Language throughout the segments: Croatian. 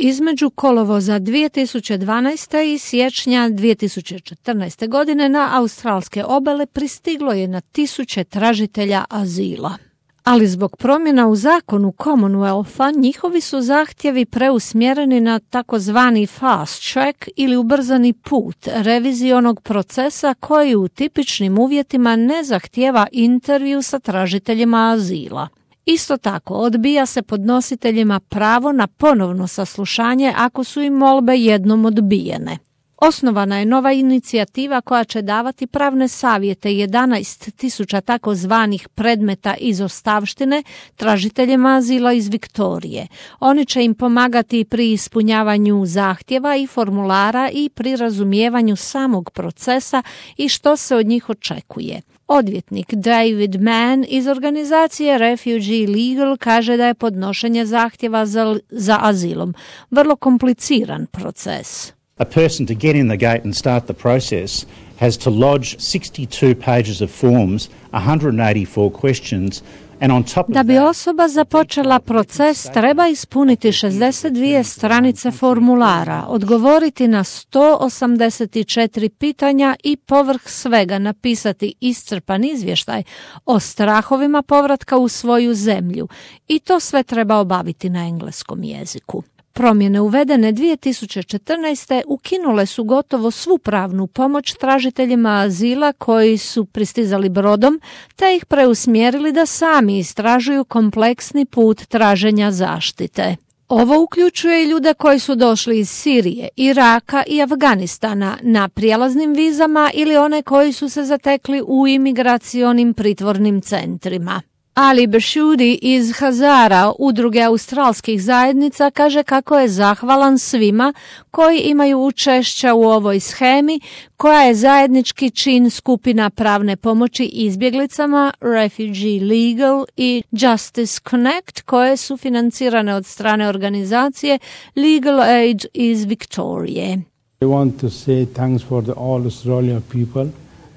Između kolovoza 2012. i siječnja 2014. godine na australske obale pristiglo je na tisuće tražitelja azila. Ali zbog promjena u zakonu Commonwealtha njihovi su zahtjevi preusmjereni na takozvani fast track ili ubrzani put revizionog procesa koji u tipičnim uvjetima ne zahtijeva intervju sa tražiteljima azila. Isto tako, odbija se podnositeljima pravo na ponovno saslušanje ako su im molbe jednom odbijene. Osnovana je nova inicijativa koja će davati pravne savjete 11.000 takozvanih predmeta izostavštine tražiteljima azila iz Viktorije. Oni će im pomagati pri ispunjavanju zahtjeva i formulara i pri razumijevanju samog procesa i što se od njih očekuje. Odvjetnik David Mann iz organizacije Refugee Legal kaže da je podnošenje zahtjeva za azilom vrlo kompliciran proces. A person to get in the gate and start the process has to lodge 62 pages of forms, 184 questions, and on top of Da bi osoba započela proces, treba ispuniti 62 stranice formulara, odgovoriti na 184 pitanja i povrh svega napisati iscrpan izvještaj o strahovima povratka u svoju zemlju. I to sve treba obaviti na engleskom jeziku. Promjene uvedene 2014. ukinule su gotovo svu pravnu pomoć tražiteljima azila koji su pristizali brodom, te ih preusmjerili da sami istražuju kompleksni put traženja zaštite. Ovo uključuje i ljude koji su došli iz Sirije, Iraka i Afganistana na prijelaznim vizama ili one koji su se zatekli u imigracionim pritvornim centrima. Ali Bashudi iz Hazara, udruge australskih zajednica, kaže kako je zahvalan svima koji imaju učešća u ovoj shemi, koja je zajednički čin skupina pravne pomoći izbjeglicama Refugee Legal i Justice Connect, koje su financirane od strane organizacije Legal Aid iz Viktorije. I want to say thanks for all Australian people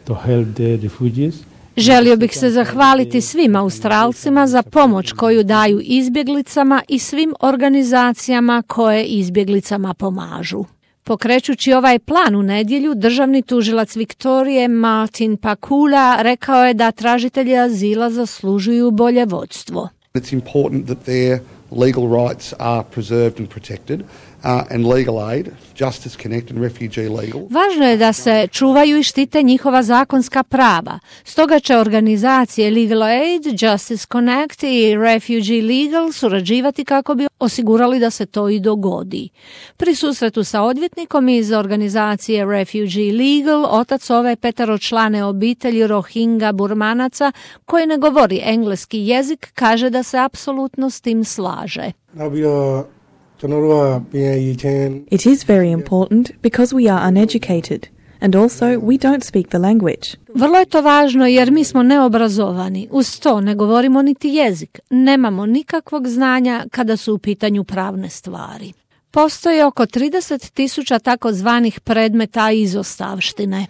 to help the refugees. Želio bih se zahvaliti svim Australcima za pomoć koju daju izbjeglicama i svim organizacijama koje izbjeglicama pomažu. Pokrećući ovaj plan u nedjelju, državni tužilac Viktorije Martin Pakula rekao je da tražitelji azila zaslužuju bolje vodstvo. It's important that their legal rights are preserved and protected. And Legal Aid, Justice Connect and Refugee Legal. Važno je da se čuvaju i štite njihova zakonska prava. Stoga će organizacije Legal Aid, Justice Connect i Refugee Legal surađivati kako bi osigurali da se to i dogodi. Pri susretu sa odvjetnikom iz organizacije Refugee Legal, otac ove peteročlane obitelji Rohingya Burmanaca, koji ne govori engleski jezik, kaže da se apsolutno s tim slaže. It is very important because we are uneducated and also we don't speak the language. Vrlo je to važno jer mi smo neobrazovani. Uz to ne govorimo niti jezik. Nemamo nikakvog znanja kada su u pitanju pravne stvari. Postoji oko 30.000 takozvanih predmeta izostavštine.